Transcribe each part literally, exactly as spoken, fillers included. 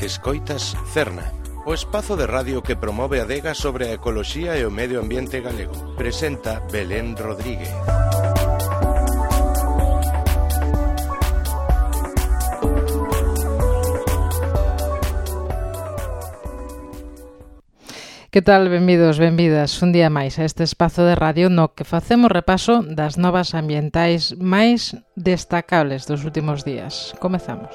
Escoitas Cerna, o espazo de radio que promove a adega sobre a ecoloxía e o medio ambiente galego. Presenta Belén Rodríguez. Que tal? Benvidos, benvidas un día máis a este espazo de radio no que facemos repaso das novas ambientais máis destacables dos últimos días. Comezamos.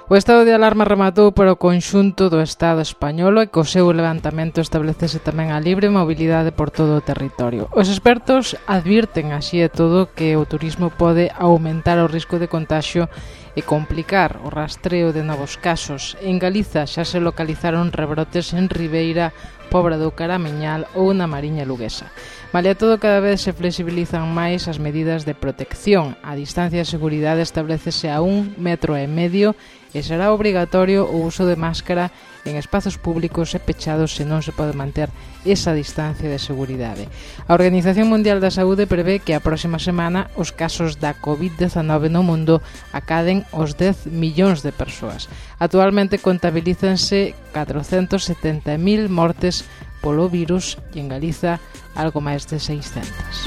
O estado de alarma rematou para o conxunto do Estado español e co seu levantamento establecese tamén a libre mobilidade por todo o territorio. Os expertos advirten así e todo que o turismo pode aumentar o risco de contagio e complicar o rastreo de novos casos. En Galiza xa se localizaron rebrotes en Ribeira, Pobra do Caramiñal ou na Mariña Luguesa. Malia todo, cada vez se flexibilizan máis as medidas de protección. A distancia de seguridade establecese a un metro e medio e será obrigatorio o uso de máscara en espazos públicos e pechados se non se pode manter esa distancia de seguridade. A Organización Mundial da Saúde prevé que a próxima semana os casos da covid dezanove no mundo acaden os dez millóns de persoas. Actualmente contabilízanse catrocentos setenta mil mortes polo virus e en Galiza algo máis de seiscentas.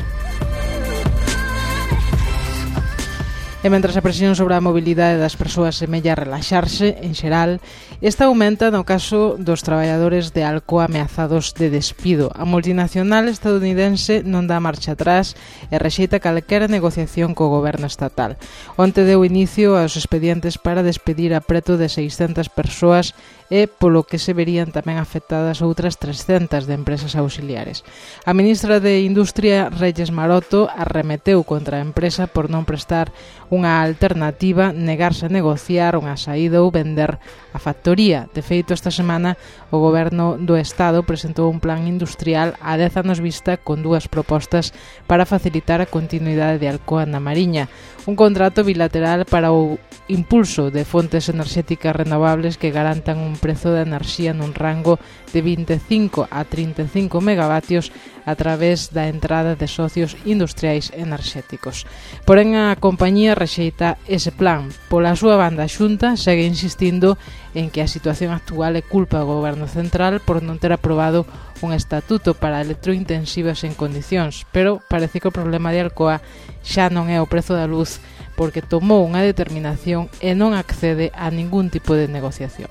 E mentras a presión sobre a mobilidade das persoas semella relaxarse, en xeral, esta aumenta no caso dos traballadores de Alcoa ameazados de despido. A multinacional estadounidense non dá marcha atrás e rexeita calquera negociación co goberno estatal. Onte deu inicio aos expedientes para despedir a preto de seiscentas persoas e polo que se verían tamén afectadas outras trescentas de empresas auxiliares. A ministra de Industria, Reyes Maroto, arremeteu contra a empresa por non prestar unha alternativa, negarse a negociar unha saída ou vender a factoría. De feito, esta semana o goberno do Estado presentou un plan industrial a dez anos vista con dúas propostas para facilitar a continuidade de Alcoa na Mariña. Un contrato bilateral para o impulso de fontes enerxéticas renovables que garantan un prezo de enerxía nun rango de vinte e cinco a trinta e cinco megavatios a través da entrada de socios industriais enerxéticos. Porén, a compañía rexeita ese plan. Pola súa banda, a Xunta segue insistindo en que a situación actual é culpa do goberno central por non ter aprobado un estatuto para electrointensivas en condicións, pero parece que o problema de Alcoa xa non é o prezo da luz, porque tomou unha determinación e non accede a ningún tipo de negociación.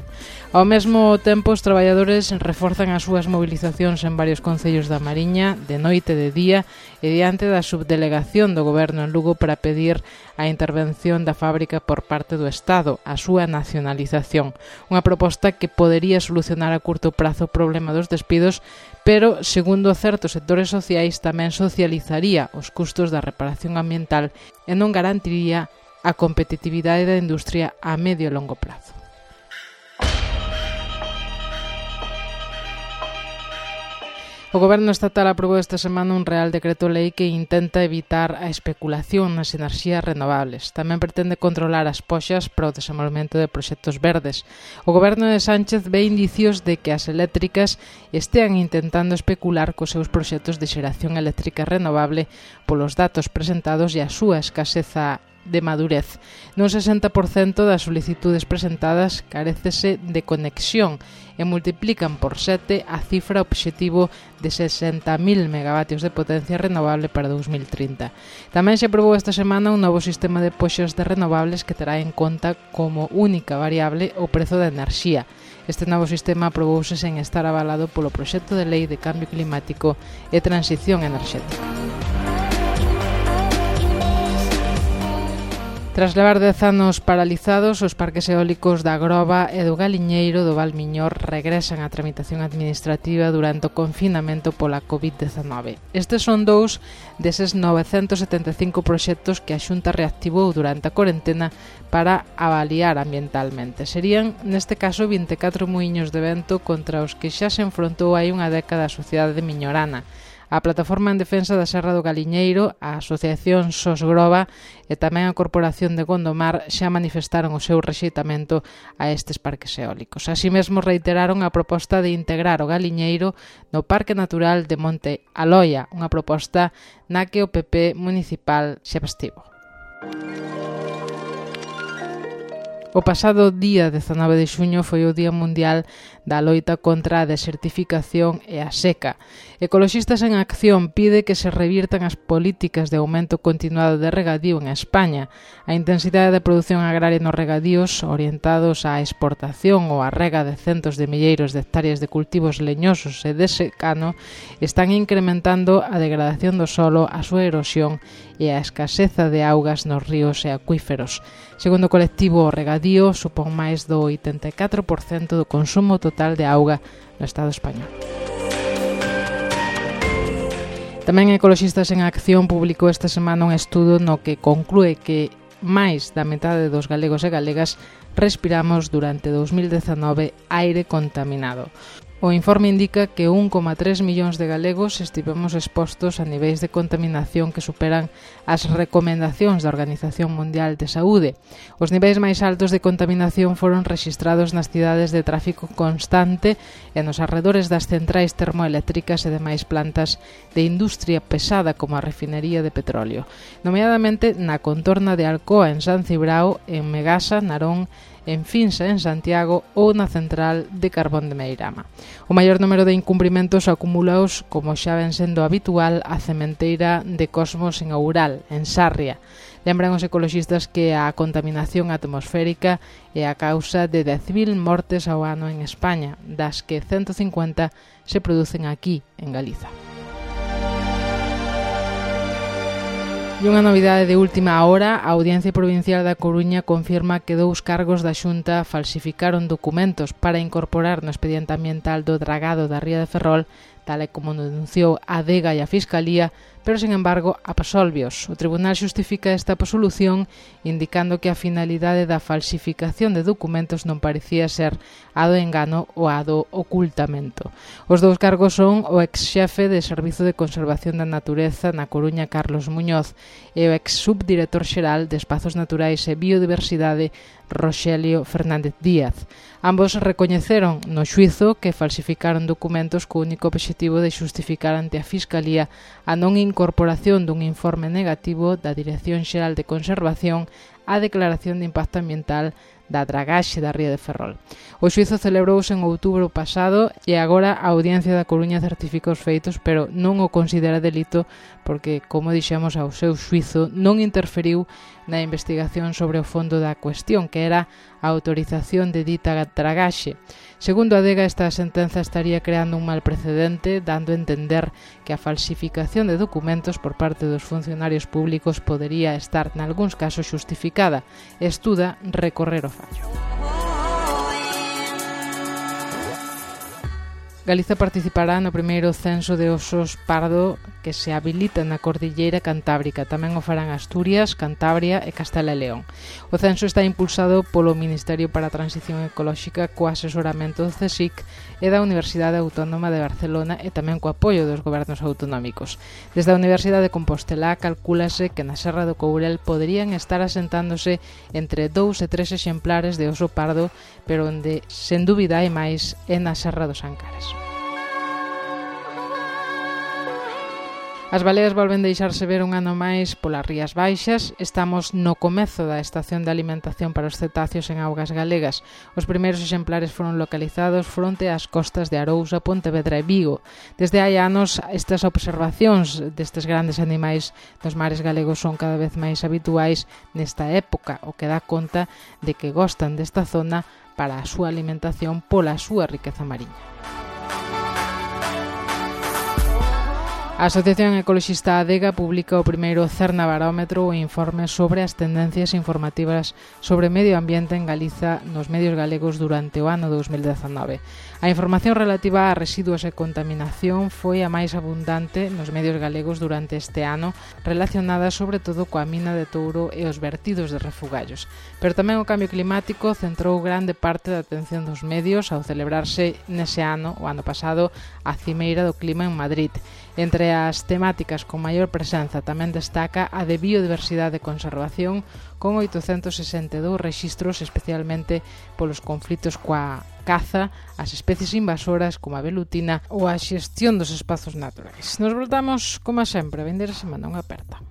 Ao mesmo tempo, os traballadores reforzan as súas movilizacións en varios concellos da Mariña, de noite e de día, e diante da subdelegación do goberno en Lugo para pedir a intervención da fábrica por parte do Estado, a súa nacionalización. Unha proposta que podería solucionar a curto prazo o problema dos despidos, pero, segundo certos sectores sociais, tamén socializaría os custos da reparación ambiental e non garantiría a competitividade da industria a medio e longo prazo. O Goberno estatal aprobou esta semana un Real Decreto Lei que intenta evitar a especulación nas enerxías renovables. Tamén pretende controlar as poxas para o desenvolvemento de proxectos verdes. O Goberno de Sánchez ve indicios de que as eléctricas estean intentando especular cos seus proxectos de xeración eléctrica renovable polos datos presentados e a súa escaseza de madurez. Nun sesenta por cento das solicitudes presentadas carécese de conexión e multiplican por sete a cifra obxectivo de sesenta mil megavatios de potencia renovable para dous mil trinta. Tamén se aprobou esta semana un novo sistema de poxas de renovables que terá en conta como única variable o prezo da enerxía. Este novo sistema aprobouse sen estar avalado polo proxecto de lei de cambio climático e transición enerxética. Tras levar dez anos paralizados, os parques eólicos da Groba e do Galiñeiro do Val Miñor regresan á tramitación administrativa durante o confinamento pola covid dezanove. Estes son dous deses novecentos setenta e cinco proxectos que a Xunta reactivou durante a corentena para avaliar ambientalmente. Serían, neste caso, vinte e catro muíños de vento contra os que xa se enfrontou hai unha década a sociedade miñorana. A Plataforma en Defensa da Serra do Galiñeiro, a Asociación Sos Groba e tamén a Corporación de Gondomar xa manifestaron o seu rexeitamento a estes parques eólicos. Así mesmo reiteraron a proposta de integrar o Galiñeiro no Parque Natural de Monte Aloia, unha proposta na que o P P municipal xa estivo. O pasado día dezanove de xuño foi o Día Mundial da loita contra a desertificación e a seca. Ecoloxistas en Acción pide que se revirtan as políticas de aumento continuado de regadío en España. A intensidade de produción agraria nos regadíos orientados á exportación ou á rega de centos de milleiros de hectáreas de cultivos leñosos e de secano están incrementando a degradación do solo, a súa erosión e a escaseza de augas nos ríos e acuíferos. Segundo o colectivo, o regadío supón máis do oitenta e catro por cento do consumo total de auga no Estado español. Tamén Ecoloxistas en Acción publicou esta semana un estudo no que conclúe que máis da metade dos galegos e galegas respiramos durante dous mil dezanove aire contaminado. O informe indica que un coma tres millóns de galegos estivemos expostos a niveis de contaminación que superan as recomendacións da Organización Mundial de Saúde. Os niveis máis altos de contaminación foron rexistrados nas cidades de tráfico constante e nos arredores das centrais termoeléctricas e demais plantas de industria pesada como a refinería de petróleo, nomeadamente na contorna de Alcoa en San Cibrao, en Megasa, Narón, en Finsa, en Santiago, ou na central de carbón de Meirama. O maior número de incumprimentos acumulaos, como xa ven sendo habitual, a cementeira de Cosmos en Oural, en Sarria. Lembran os ecoloxistas que a contaminación atmosférica é a causa de dez mil mortes ao ano en España, das que ciento cincuenta se producen aquí, en Galiza. E unha novidade de última hora, a Audiencia Provincial da Coruña confirma que dous cargos da Xunta falsificaron documentos para incorporar no expediente ambiental do dragado da Ría de Ferrol, tal e como denunciou a Adega e a Fiscalía, pero, sin embargo, absolvios. O Tribunal xustifica esta absolución indicando que a finalidade da falsificación de documentos non parecía ser a do engano ou a do ocultamento. Os dous cargos son o ex-xefe de Servizo de Conservación da Natureza na Coruña, Carlos Muñoz, e o ex-subdirector xeral de Espazos Naturais e Biodiversidade, Roxelio Fernández Díaz. Ambos recoñeceron no xuízo que falsificaron documentos co único obxectivo de xustificar ante a Fiscalía a non incorporación dun informe negativo da Dirección Xeral de Conservación á declaración de impacto ambiental da dragaxe da Ría de Ferrol. O xuízo celebrouse en outubro pasado e agora a Audiencia da Coruña certifica os feitos, pero non o considera delito porque, como dixemos, ao seu xuízo non interferiu na investigación sobre o fondo da cuestión, que era a autorización de dita dragaxe. Segundo a Adega, esta sentenza estaría creando un mal precedente, dando a entender que a falsificación de documentos por parte dos funcionarios públicos podería estar, nalgúns casos, xustificada. Estuda recorrer o fallo. Galiza participará no primeiro censo de osos pardo que se habilita na Cordilleira Cantábrica. Tamén o farán Asturias, Cantabria e Castela e León. O censo está impulsado polo Ministerio para a Transición Ecolóxica co asesoramento do CSIC e da Universidade Autónoma de Barcelona e tamén co apoio dos gobernos autonómicos. Desde a Universidade de Compostela calcúlase que na Serra do Courel poderían estar asentándose entre dous e tres exemplares de oso pardo, pero onde, sen dúbida, hai máis é na Serra dos Ancares. As baleas volven deixarse ver un ano máis polas Rías Baixas. Estamos no comezo da estación de alimentación para os cetáceos en augas galegas. Os primeiros exemplares foron localizados fronte ás costas de Arousa, Pontevedra e Vigo. Desde hai anos, estas observacións destes grandes animais dos mares galegos son cada vez máis habituais nesta época, o que dá conta de que gostan desta zona para a súa alimentación pola súa riqueza mariña. A Asociación Ecoloxista Adega publica o primeiro Cerna Barómetro, o informe sobre as tendencias informativas sobre medio ambiente en Galiza nos medios galegos durante o ano dous mil dezanove. A información relativa a residuos e contaminación foi a máis abundante nos medios galegos durante este ano, relacionada sobre todo coa mina de Touro e os vertidos de refugallos. Pero tamén o cambio climático centrou grande parte da atención dos medios ao celebrarse nese ano, o ano pasado, a Cimeira do Clima en Madrid. Entre as temáticas con maior presenza tamén destaca a de biodiversidade e conservación, con oitocentos sesenta e dous rexistros, especialmente polos conflitos coa caza, as especies invasoras como a velutina ou a xestión dos espazos naturais. Nos voltamos, como sempre, a vindeira semana. Unha aperta.